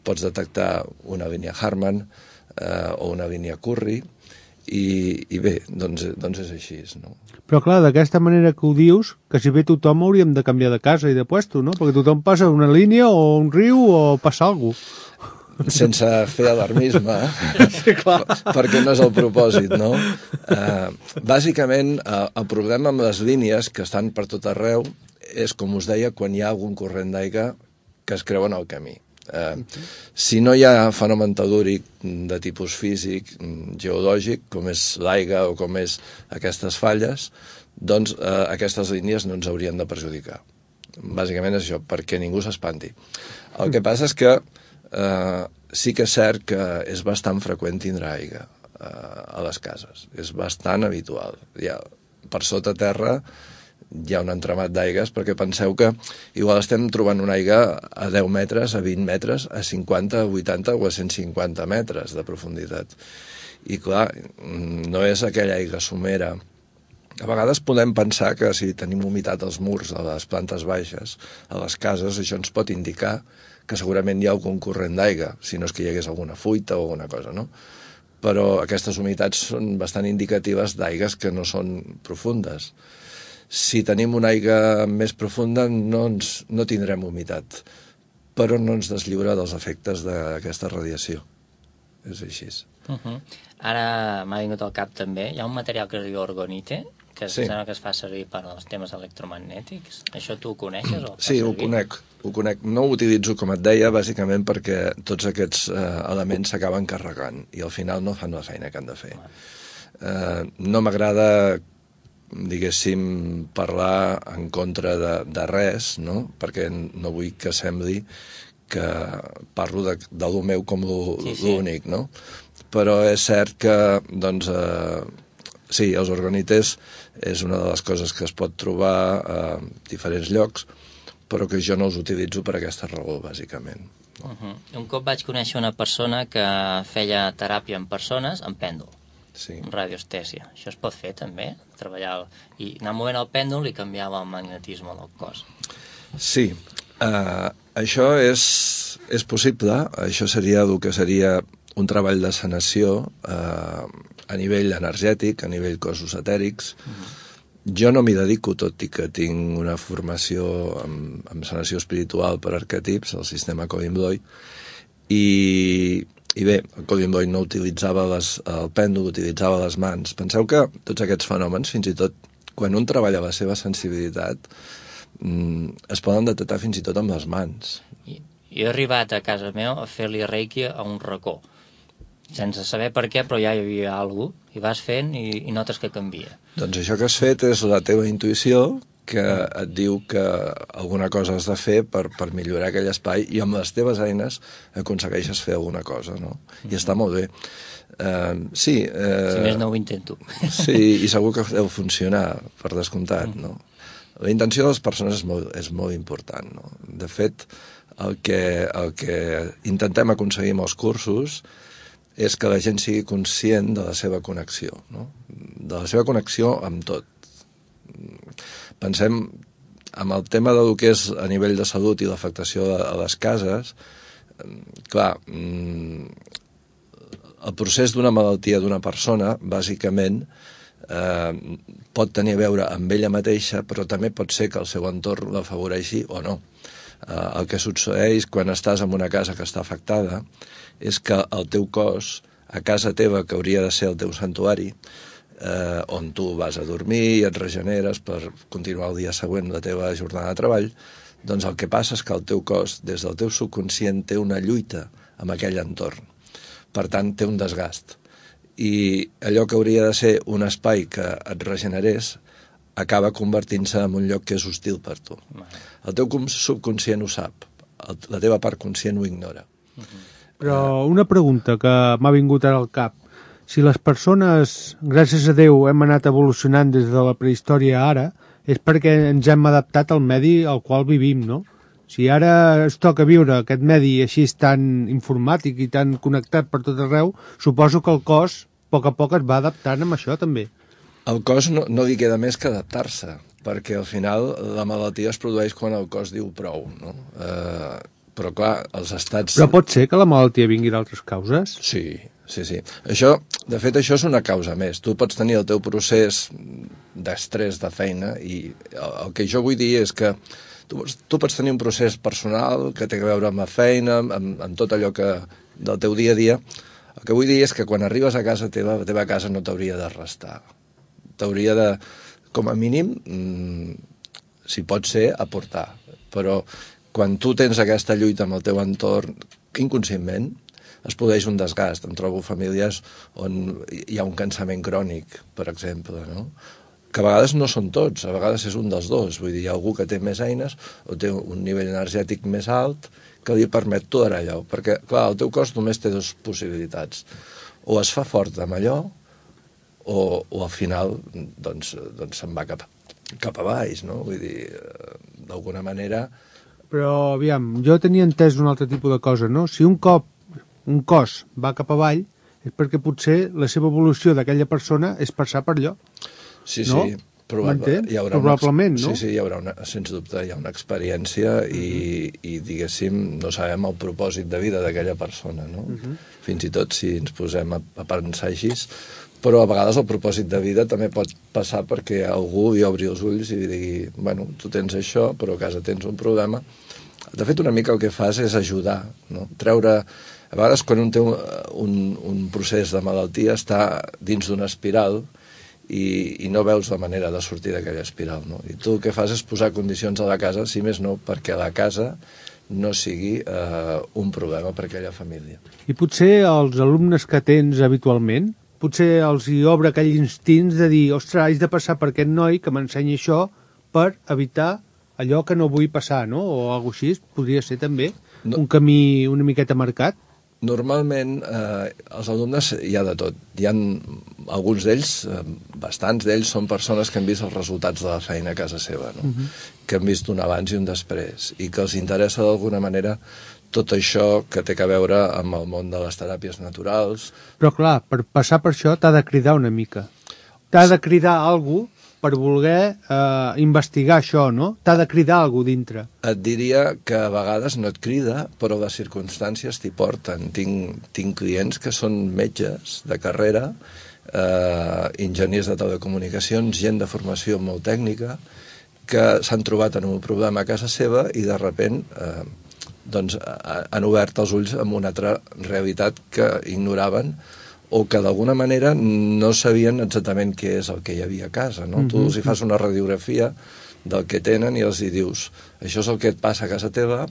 pots detectar una línia Harman o una línia Curry, i bé, doncs és així. No? Però clar, d'aquesta manera que ho dius, que si ve tothom hauríem de canviar de casa i de puesto, no? Perquè tothom passa una línia o un riu o passa alguna cosa. Sense fer alarmisme, sí, clar. Perquè no és el propòsit, no? Bàsicament, el problema amb les línies que estan per tot arreu és, com us deia, quan hi ha algun corrent d'aigua que es creuen al camí. Si no hi ha fenomen tel·lúric de tipus físic, geològic, com és l'aigua o com és aquestes falles, doncs aquestes línies no ens haurien de perjudicar. Bàsicament és això, perquè ningú s'espanti. El que passa és que sí que és cert que és bastant freqüent tindre aigua a les cases. És bastant habitual. Per sota terra hi ha un entramat d'aigues, perquè penseu que igual estem trobant una aigua a 10 metres, a 20 metres, a 50, a 80 o a 150 metres de profunditat. I clar, no és aquella aigua somera. A vegades podem pensar que si tenim humitat als murs, a les plantes baixes, a les cases, això ens pot indicar que segurament hi ha algun corrent d'aigua, si no és que hi hagués alguna fuita o alguna cosa, no? Però aquestes humitats són bastant indicatives d'aigues que no són profundes. Si tenim una aigua més profunda no tindrem humitat, però no ens deslliura dels efectes d'aquesta radiació. És així. Ara m'ha vingut al cap també, hi ha un material que es diu orgonite, que sembla que es fa servir per als temes electromagnètics. Això tu ho coneixes? Sí, ho conec. No ho utilitzo, com et deia, bàsicament perquè tots aquests elements s'acaben carregant i al final no fan la feina que han de fer. No m'agrada, diguéssim, parlar en contra de res, no? Perquè no vull que sembli que parlo de lo meu com l'únic, no? Però és cert que, doncs, sí, els orgonites és una de les coses que es pot trobar a diferents llocs, però que jo no els utilitzo per aquesta raó, bàsicament. Un cop vaig conèixer una persona que feia teràpia en persones amb pèndol, amb radiostèsia. Això es pot fer també? Treballar i anar movent el pèndol i canviava el magnetisme del cos. Sí, això és possible. Això seria el que seria un treball de sanació a nivell energètic, a nivell cossos etèrics. Jo no m'hi dedico, tot i que tinc una formació en sanació espiritual per arquetips, el sistema Colin Bloy, i bé, el Colin Bloy no utilitzava el pèndol, utilitzava les mans. Penseu que tots aquests fenòmens, fins i tot quan un treballa la seva sensibilitat, es poden detectar fins i tot amb les mans. Jo he arribat a casa meva a fer-li reiki a un racó. sense saber per què, però ja hi havia alguna cosa, i vas fent i notes que canvia. Doncs això que has fet és la teva intuïció, que et diu que alguna cosa has de fer per millorar aquell espai i amb les teves eines aconsegueixes fer alguna cosa, no? I està molt bé. Sí. Si més no ho intento. Sí, i segur que deu funcionar, per descomptat, no? La intenció de les persones és molt important, no? De fet, el que intentem aconseguir amb els cursos és que la gent sigui conscient de la seva connexió, no? De la seva connexió amb tot. Pensem en el tema del que és a nivell de salut i l'afectació a les cases. Clar, el procés d'una malaltia d'una persona, bàsicament, pot tenir a veure amb ella mateixa, però també pot ser que el seu entorn l'afavoreixi o no. El que succeeix quan estàs en una casa que està afectada és que el teu cos, a casa teva, que hauria de ser el teu santuari, on tu vas a dormir i et regeneres per continuar el dia següent la teva jornada de treball, doncs el que passa és que el teu cos, des del teu subconscient, té una lluita amb aquell entorn. Per tant, té un desgast. I allò que hauria de ser un espai que et regenerés acaba convertint-se en un lloc que és hostil per tu. El teu subconscient ho sap, la teva part conscient ho ignora. Però una pregunta que m'ha vingut ara al cap. Si les persones, gràcies a Déu, hem anat evolucionant des de la prehistòria a ara, és perquè ens hem adaptat al medi al qual vivim, no? Si ara es toca viure aquest medi així tan informàtic i tan connectat per tot arreu, suposo que el cos, a poc es va adaptant amb això també. El cos no li queda més que adaptar-se, perquè al final la malaltia es produeix quan el cos diu prou, no? Però clar, els estats... Però pot ser que la malaltia vingui d'altres causes? Sí. De fet, això és una causa més. Tu pots tenir el teu procés d'estrès de feina i el que jo vull dir és que tu pots tenir un procés personal que té a veure amb la feina, amb tot allò del teu dia a dia. El que vull dir és que quan arribes a casa teva, la teva casa no t'hauria de restar. T'hauria de, com a mínim, si pot ser, aportar. Però quan tu tens aquesta lluita amb el teu entorn, inconscientment, es produeix un desgast. Em trobo famílies on hi ha un cansament crònic, per exemple, no? Que a vegades no són tots, a vegades és un dels dos. Vull dir, hi ha algú que té més eines o té un nivell energètic més alt que li permet tolerar allò. Perquè, clar, el teu cos només té dues possibilitats. O es fa fort amb allò o al final doncs se'n va cap a baix, no? Vull dir, d'alguna manera... Però, aviam, jo tenia entès un altre tipus de cosa, no? Si un cop un cos va cap avall és perquè potser la seva evolució d'aquella persona és passar per allò. Sí, no? Probablement, no? Sí, hi haurà sens dubte, hi ha una experiència i diguéssim, no sabem el propòsit de vida d'aquella persona, no? Fins i tot si ens posem a pensar així, però a vegades el propòsit de vida també pot passar perquè algú li obri els ulls i digui, bueno, tu tens això, però a casa tens un problema. De fet, una mica el que fas és ajudar, no? Treure... A vegades, quan un té un procés de malaltia, està dins d'una espiral i no veus la manera de sortir d'aquella espiral, no? I tu el que fas és posar condicions a la casa, si més no, perquè la casa no sigui un problema per aquella família. I potser els alumnes que tens habitualment, potser els hi obre aquell instint de dir, ostres, haig de passar per aquest noi que m'ensenyi això per evitar allò que no vull passar, no? O alguna cosa així, podria ser també un camí una miqueta marcat. Normalment, els alumnes hi ha de tot. Hi ha alguns d'ells, bastants d'ells, són persones que han vist els resultats de la feina a casa seva, no? Que han vist un abans i un després, i que els interessa d'alguna manera tot això que té a veure amb el món de les teràpies naturals. Però clar, per passar per això t'ha de cridar una mica. T'ha de cridar algú per voler investigar això, no? T'ha de cridar algú dintre. Et diria que a vegades no et crida, però les circumstàncies t'hi porten. Tinc clients que són metges de carrera, enginyers de telecomunicacions, gent de formació molt tècnica, que s'han trobat en un problema a casa seva i de sobte han obert els ulls amb una altra realitat que ignoraven o que d'alguna manera no sabien exactament què és el que hi havia a casa, no? Tu els hi fas una radiografia del que tenen i els hi dius, això és el que et passa a casa teva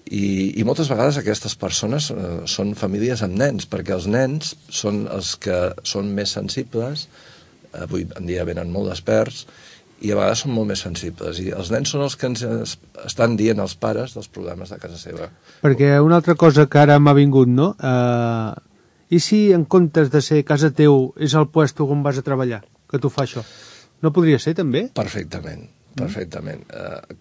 I moltes vegades aquestes persones són famílies amb nens, perquè els nens són els que són més sensibles, avui en dia venen molt desperts, i a vegades són molt més sensibles. I els nens són els que ens estan dient als pares dels problemes de casa seva. Perquè una altra cosa que ara m'ha vingut, no? I si en comptes de ser casa teu és el puesto on vas a treballar, que tu fa això? No podria ser, també? Perfectament.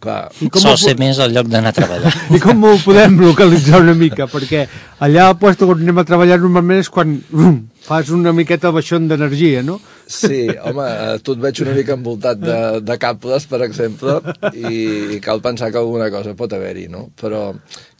Clar. Sol ser més el lloc d'anar a treballar. I com ho podem localitzar una mica? Perquè allà al puesto on anem a treballar normalment és quan fas una miqueta el baixón d'energia, no? Sí, home, tu et veig una mica envoltat de cables, per exemple, i cal pensar que alguna cosa pot haver-hi, no? Però,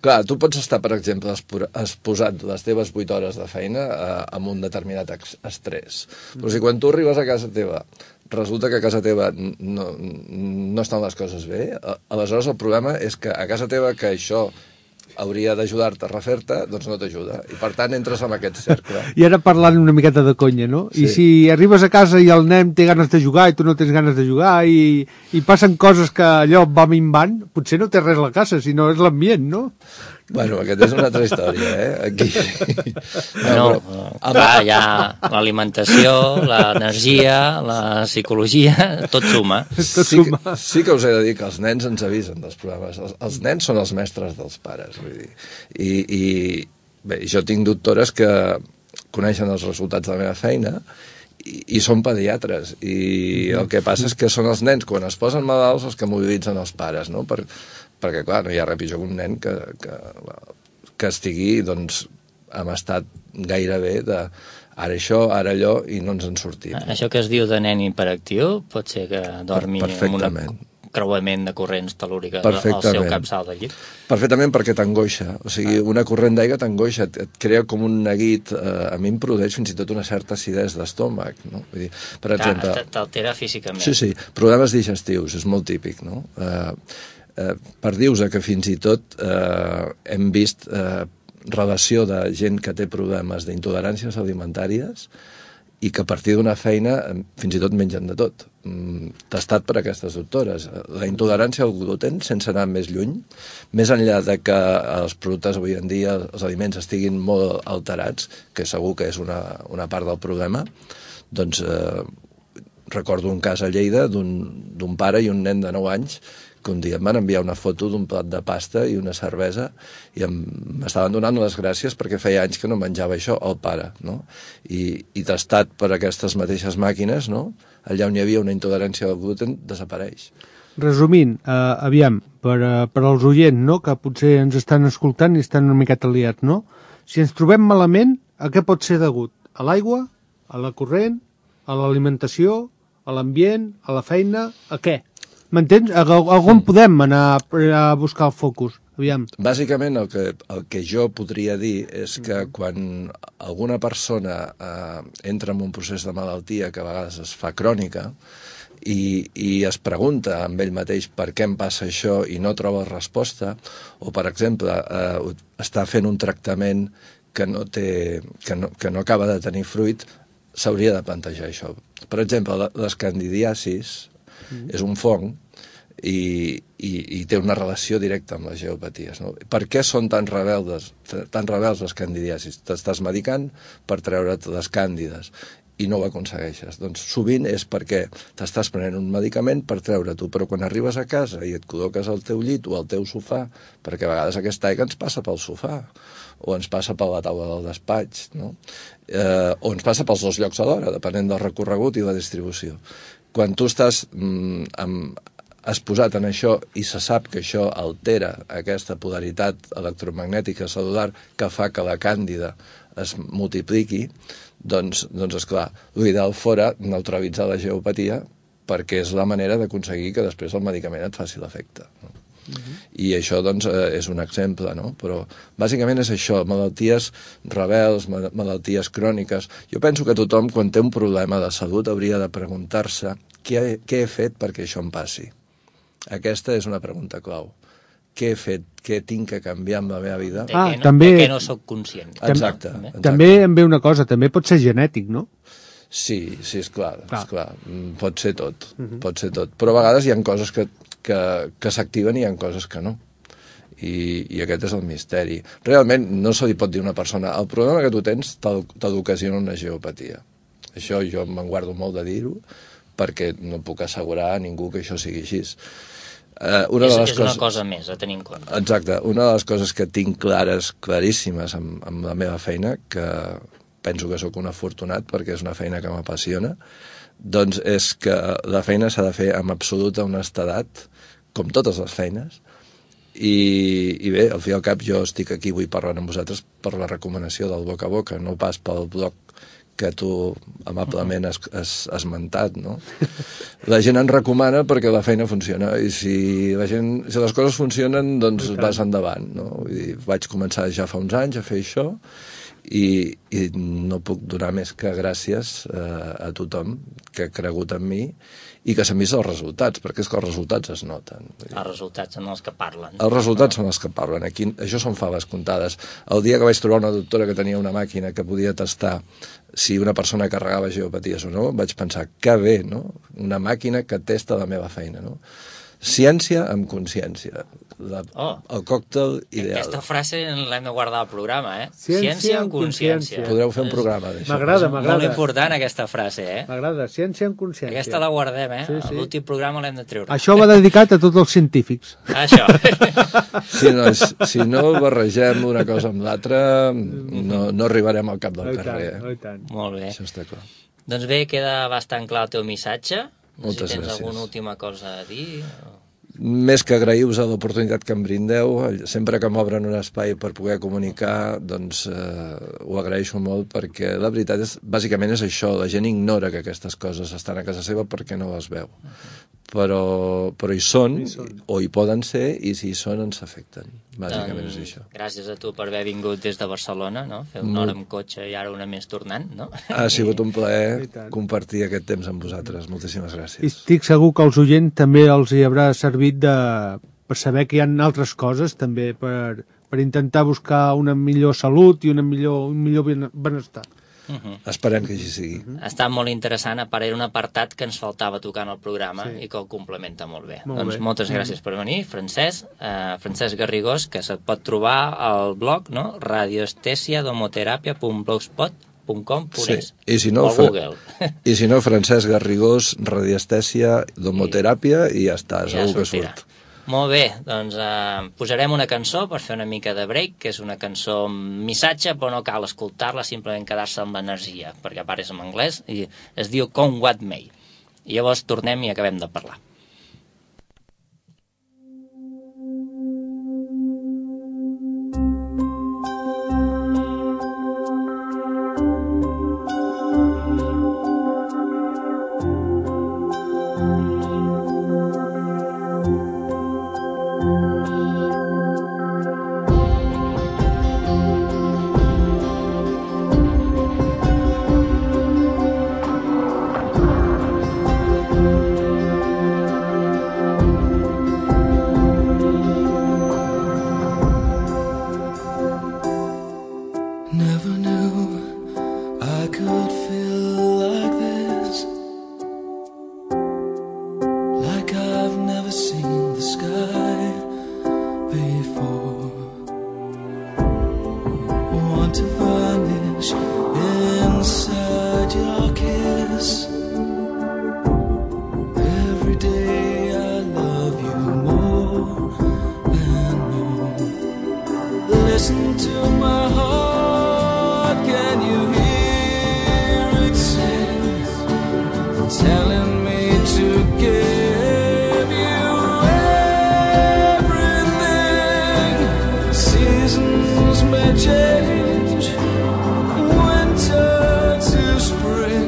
clar, tu pots estar, per exemple, exposat les teves 8 hores de feina amb un determinat estrès. Però si quan tu arribes a casa teva resulta que a casa teva no estan les coses bé, aleshores el problema és que a casa teva que això hauria d'ajudar-te a refer-te, doncs no t'ajuda. I per tant entres en aquest cercle. I ara parlant una miqueta de conya, no? Sí. I si arribes a casa i el nen té ganes de jugar i tu no tens ganes de jugar i passen coses que allò va minvant, potser no té res a la casa, sinó és l'ambient, no? Bueno, aquesta és una altra història, Aquí... Clar, hi ha l'alimentació, l'energia, la psicologia, tot suma. Sí que us he de dir que els nens ens avisen dels problemes. Els nens són els mestres dels pares, vull dir. I bé, jo tinc doctores que coneixen els resultats de la meva feina i són pediatres. I el que passa és que són els nens, quan es posen malalts, els que mobilitzen els pares, no? Perquè, clar, no hi ha res pitjor que un nen que estigui, doncs, en estat gairebé de ara això, ara allò, i no ens en sortim. Això que es diu de nen hiperactiu pot ser que dormi amb un creuament de corrents telúriques al seu capçal del llit? Perfectament, perquè t'angoixa. O sigui, una corrent d'aigua t'angoixa, et crea com un neguit, a mi em produeix fins i tot una certa acidesa d'estómac, no? Vull dir, per exemple... T'altera físicament. Sí, problemes digestius, és molt típic, no? Per dir-vos que fins i tot hem vist relació de gent que té problemes d'intoleràncies alimentàries i que a partir d'una feina fins i tot mengen de tot. Testat per aquestes doctores. La intolerància al gluten, sense anar més lluny, més enllà de que els productes avui en dia, els aliments estiguin molt alterats, que segur que és una part del problema, doncs recordo un cas a Lleida d'un pare i un nen de 9 anys que un dia em van enviar una foto d'un plat de pasta i una cervesa i m'estaven donant les gràcies perquè feia anys que no menjava això, el pare, no? I tastat per aquestes mateixes màquines, no? Allà on hi havia una intolerància al gluten, desapareix. Resumint, aviam, per als oients, no?, que potser ens estan escoltant i estan una miqueta liats, no? Si ens trobem malament, a què pot ser degut? A l'aigua? A la corrent? A l'alimentació? A l'ambient? A la feina? A què? M'entens? A on podem anar a buscar el focus? Aviam. Bàsicament el que jo podria dir és que quan alguna persona entra en un procés de malaltia que a vegades es fa crònica i es pregunta amb ell mateix per què em passa això i no troba resposta, o per exemple està fent un tractament que no acaba de tenir fruit, s'hauria de plantejar això. Per exemple, les candidiasis és un fong i té una relació directa amb les geopaties, no? Per què són tan rebels les candidiasis? T'estàs medicant per treure't les càndides i no ho aconsegueixes. Doncs sovint és perquè t'estàs prenent un medicament per treure-t'ho, però quan arribes a casa i et col·loques al teu llit o al teu sofà, perquè a vegades aquesta aigua ens passa pel sofà o ens passa per la taula del despatx, no? O ens passa pels dos llocs alhora, depenent del recorregut i la distribució. Quan tu estàs exposat en això i se sap que això altera aquesta polaritat electromagnètica celular que fa que la càndida es multipliqui, doncs esclar, l'ideal fora neutralitzar la geopatia perquè és la manera d'aconseguir que després el medicament et faci l'efecte. I això, doncs, és un exemple, no? Però, bàsicament, és això, malalties rebels, malalties cròniques. Jo penso que tothom, quan té un problema de salut, hauria de preguntar-se què he fet perquè això em passi. Aquesta és una pregunta clau. Què he fet? Què tinc que canviar amb la meva vida? De què no soc conscient. Exacte. També em ve una cosa, també pot ser genètic, no? Sí, és clar. Pot ser tot, pot ser tot. Però a vegades hi ha coses que s'activen i hi ha coses que no. I aquest és el misteri. Realment no se li pot dir a una persona el problema que tu tens t'ocasiona una geopatia. Això jo me'n guardo molt de dir-ho perquè no puc assegurar a ningú que això sigui així. És una cosa més a tenir en compte. Exacte. Una de les coses que tinc claríssimes amb la meva feina, que penso que sóc un afortunat perquè és una feina que m'apassiona, doncs és que la feina s'ha de fer amb absoluta honestedat, com totes les feines, i bé, al fi i al cap jo estic aquí avui parlant amb vosaltres per la recomanació del boca a boca, no pas pel blog que tu amablement has esmentat, no? La gent en recomana perquè la feina funciona, i si les coses funcionen, doncs vas endavant, no? Vull dir, vaig començar ja fa uns anys a fer això, i no puc donar més que gràcies a tothom que ha cregut en mi i que s'han vist els resultats, perquè és que els resultats es noten. Els resultats són els que parlen. Els resultats són els que parlen. Aquí, això són faves comptades. El dia que vaig trobar una doctora que tenia una màquina que podia tastar si una persona carregava geopaties o no, vaig pensar, que bé, no? Una màquina que testa la meva feina, no? Ciència amb consciència. El còctel ideal. Aquesta frase l'hem de guardar al programa, eh? Ciència amb consciència. Podreu fer un programa d'això. M'agrada. Molt important aquesta frase, eh? M'agrada, ciència amb consciència. Aquesta la guardem, eh? Sí. L'últim programa l'hem de treure. Això va dedicat a tots els científics. Això. Si no barregem una cosa amb l'altra, no arribarem al cap del carrer. Molt bé. Això està clar. Doncs bé, queda bastant clar el teu missatge. Moltes si tens gràcies. alguna última cosa a dir... Més que agrair-vos l'oportunitat que em brindeu, sempre que m'obren un espai per poder comunicar, doncs ho agraeixo molt, perquè la veritat és, bàsicament és això, la gent ignora que aquestes coses estan a casa seva perquè no les veu. Però hi són, o hi poden ser, i si hi són ens afecten. Bàsicament és això. Gràcies a tu per haver vingut des de Barcelona, no? Fer una hora amb cotxe i ara una més tornant, no? Ha sigut un plaer compartir aquest temps amb vosaltres. Moltíssimes gràcies. I estic segur que als oients també els hi haurà servit per saber que hi ha altres coses també per intentar buscar una millor salut i un millor benestar. Esperem que així sigui. Ha estat molt interessant, a part era un apartat que ens faltava tocar en el programa i que el complementa molt bé. Doncs moltes gràcies per venir, Francesc Garrigós, que se't pot trobar al blog, no? radioestesiadomoterapia.blogspot.com.es I si no, Francesc Garrigós, radiestèsia, domoteràpia, i ja està, segur que surt. Molt bé, doncs posarem una cançó per fer una mica de break, que és una cançó amb missatge, però no cal escoltar-la, simplement quedar-se amb l'energia, perquè a part és en anglès, i es diu Come What May. I llavors tornem i acabem de parlar. Change winter to spring.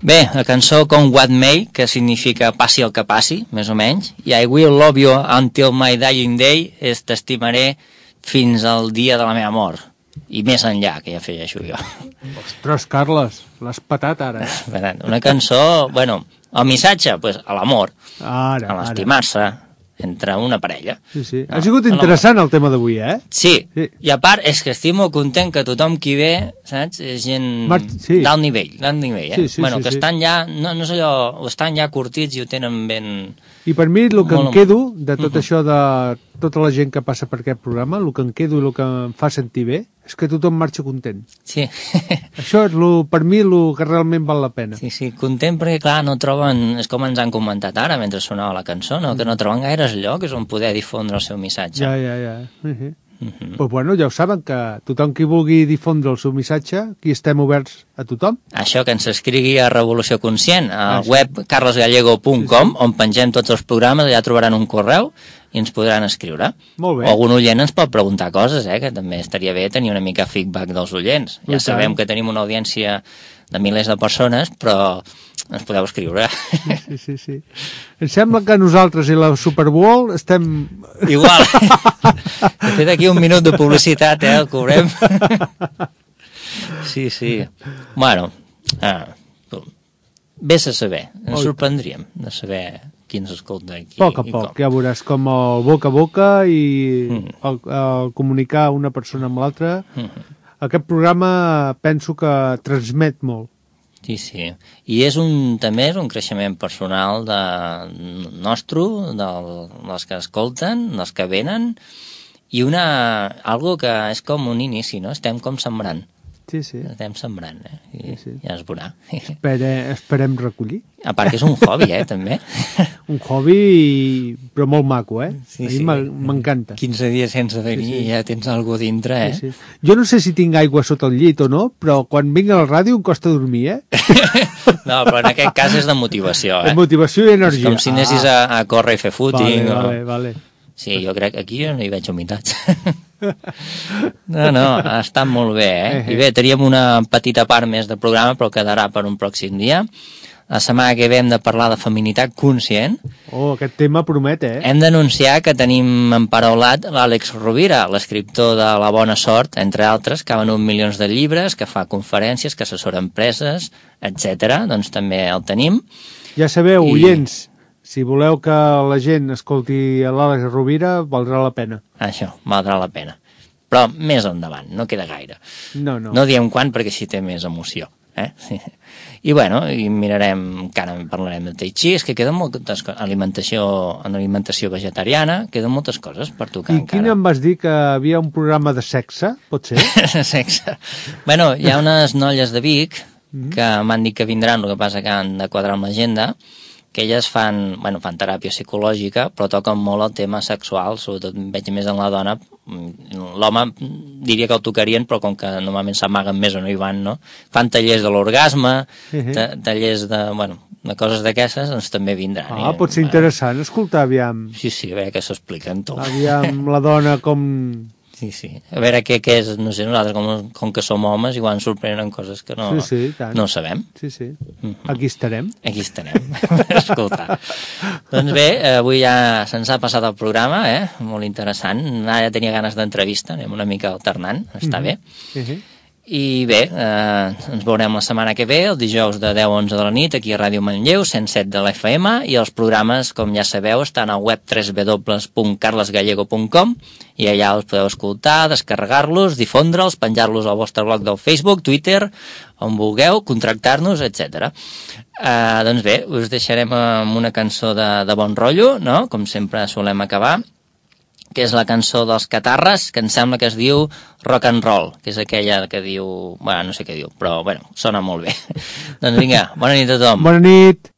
Bé, la cançó con What May, que significa passi el que passi, més o menys, i I will love you until my dying day, és t'estimaré fins al dia de la meva mort. I més enllà, que ja afegeixo jo. Ostres, Carles, l'has patat ara. Una cançó, bueno, el missatge, pues, a l'amor, a l'estimar-se, entre una parella. Sí, sí. Ha sigut interessant el tema d'avui, eh? Sí, i a part és que estic molt content que tothom qui ve, saps, és gent d'alt nivell, eh? Bueno, que estan ja, no és allò, estan ja curtits i ho tenen ben... I per mi el que em quedo de tot això de tota la gent que passa per aquest programa, el que em quedo i el que em fa sentir bé, és que tothom marxa content. Sí. Això és per mi el que realment val la pena. Sí, sí, content perquè, clar, no troben, és com ens han comentat ara mentre sonava la cançó, no? Que no troben gaires llocs on poder difondre el seu missatge. Ja. Pues bueno, ja ho saben, que tothom qui vulgui difondre el seu missatge, aquí estem oberts a tothom. Això, que ens escrigui a Revolució Conscient, a web carlosgallego.com, on pengem tots els programes, allà trobaran un correu i ens podran escriure. Molt bé. O algun oient ens pot preguntar coses, que també estaria bé tenir una mica feedback dels oients. Ja sabem que tenim una audiència de milers de persones, però ens podeu escriure. Sí. Em sembla que nosaltres i la Super Bowl estem... Igual. De fet, aquí un minut de publicitat, el cobrem. Sí. Bueno, vés a saber. Ens sorprendríem de saber qui ens escolta aquí. A poc, ja veuràs com el boca a boca i el comunicar una persona amb l'altra. Aquest programa penso que transmet molt. Sí. I també és un creixement personal nostre, dels que escolten, dels que venen, i algo que és com un inici, no? Estem com sembrant. Sí. Estem sembrant, I ja es veurà. Esperem recollir. A part que és un hobby, també. Un hobby, però molt maco, Sí. A mi m'encanta. 15 dies sense venir i ja tens alguna dintre, Sí. Jo no sé si tinc aigua sota el llit o no, però quan vinc a la ràdio em costa dormir, No, però en aquest cas és de motivació, De motivació i energia. És com si anessis a córrer i fer footing. Vale. Sí, jo crec que aquí no hi veig humitats. No, ha estat molt bé, I bé, teníem una petita part més de programa, però quedarà per un pròxim dia. La setmana que ve hem de parlar de feminitat conscient. Aquest tema promet, Hem d'anunciar que tenim emparaulat l'Àlex Rovira, l'escriptor de La Bona Sort, entre altres, que ha venut milions de llibres, que fa conferències, que assessora empreses, etc. Doncs també el tenim. Ja sabeu, oients, si voleu que la gent escolti l'Àlex Rovira, valdrà la pena. Això, valdrà la pena. Però més endavant, no queda gaire. No. No diem quan, perquè així té més emoció. Sí. I bueno, i mirarem, encara parlarem de tai chi, és que queden moltes coses, alimentació vegetariana, queden moltes coses per tocar I encara. quin em vas dir que havia un programa de sexe, pot ser? Sexe. Bueno, hi ha unes noies de Vic que m'han dit que vindran, el que passa que han de quadrar amb l'agenda, que elles fan teràpia psicològica, però toquen molt el tema sexual, sobretot veig més en la dona. L'home diria que el tocarien, però com que normalment s'amaguen més o no hi van, no? Fan tallers de l'orgasme, tallers de coses d'aquestes, doncs també vindran. Pot ser interessant escoltar, aviam. Sí, a veure què s'expliquen tot. Aviam la dona com... Sí. A veure què és, no sé, nosaltres com que som homes igual ens sorprenen coses que no sabem. Sí. Aquí estarem. Escolta. Doncs bé, avui ja se'ns ha passat el programa, molt interessant. Ara ja tenia ganes d'entrevista, anem una mica alternant, està bé. I bé, ens veurem la setmana que ve, el dijous de 10 a 11 de la nit, aquí a Ràdio Manlleu, 107 de l'FM, i els programes, com ja sabeu, estan al web www.carlesgallego.com i allà els podeu escoltar, descarregar-los, difondre'ls, penjar-los al vostre blog del Facebook, Twitter, on vulgueu, contractar-nos, etc. Doncs bé, us deixarem amb una cançó de bon rotllo, no? Com sempre solem acabar, que és la cançó dels Catarres, que em sembla que es diu Rock and Roll, que és aquella que diu... no sé què diu, però sona molt bé. Doncs vinga, bona nit a tothom. Bona nit.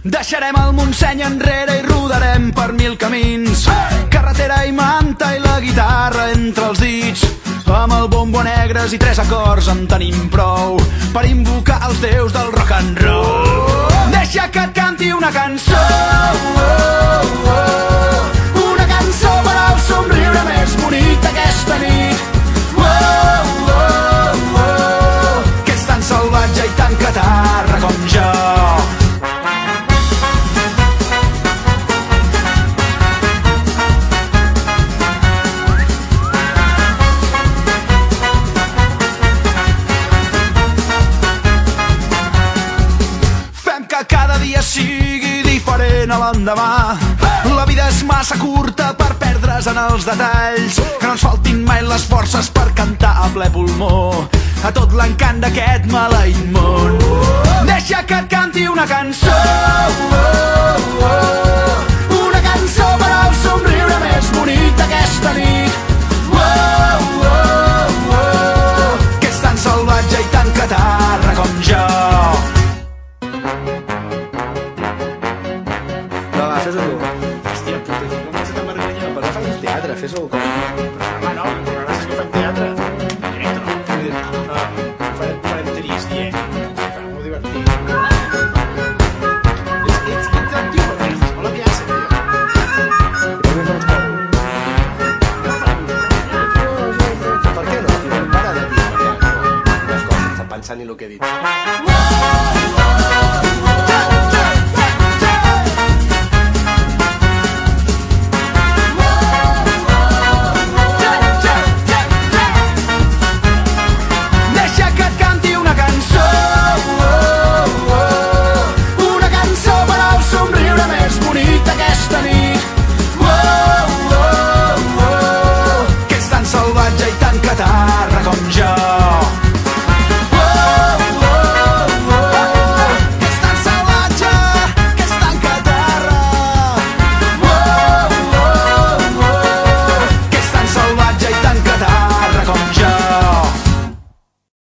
Deixarem el Montseny enrere i rodarem per 1000 camins. Carretera i manta i la guitarra entre els dits. Amb el bombo negres i 3 acords en tenim prou per invocar els déus del rock and roll. Deixa que et canti una cançó, una cançó per al somriure més bonic d'aquesta nit. Que és tan salvatge i tan catarra com jo. Cada dia sigui diferent a l'endemà. La vida és massa curta per perdre's en els detalls. Que no ens faltin mai les forces per cantar a ple pulmó a tot l'encant d'aquest maleït món. Deixa que et canti una cançó, una cançó per al somriure més bonic d'aquesta nit. Que és tan salvatge i tan catarra com jo. Fes-ho tu. Hòstia puta, com vas a te merganyar? Però fas teatre, fes-ho com... Home, no, però ara sí que fem teatre. Farem trist, farem molt divertit. Ets interactiu, perquè és molt aviat, tio. Per què no, tio? Para de dir les coses sense pensar ni el que he dit.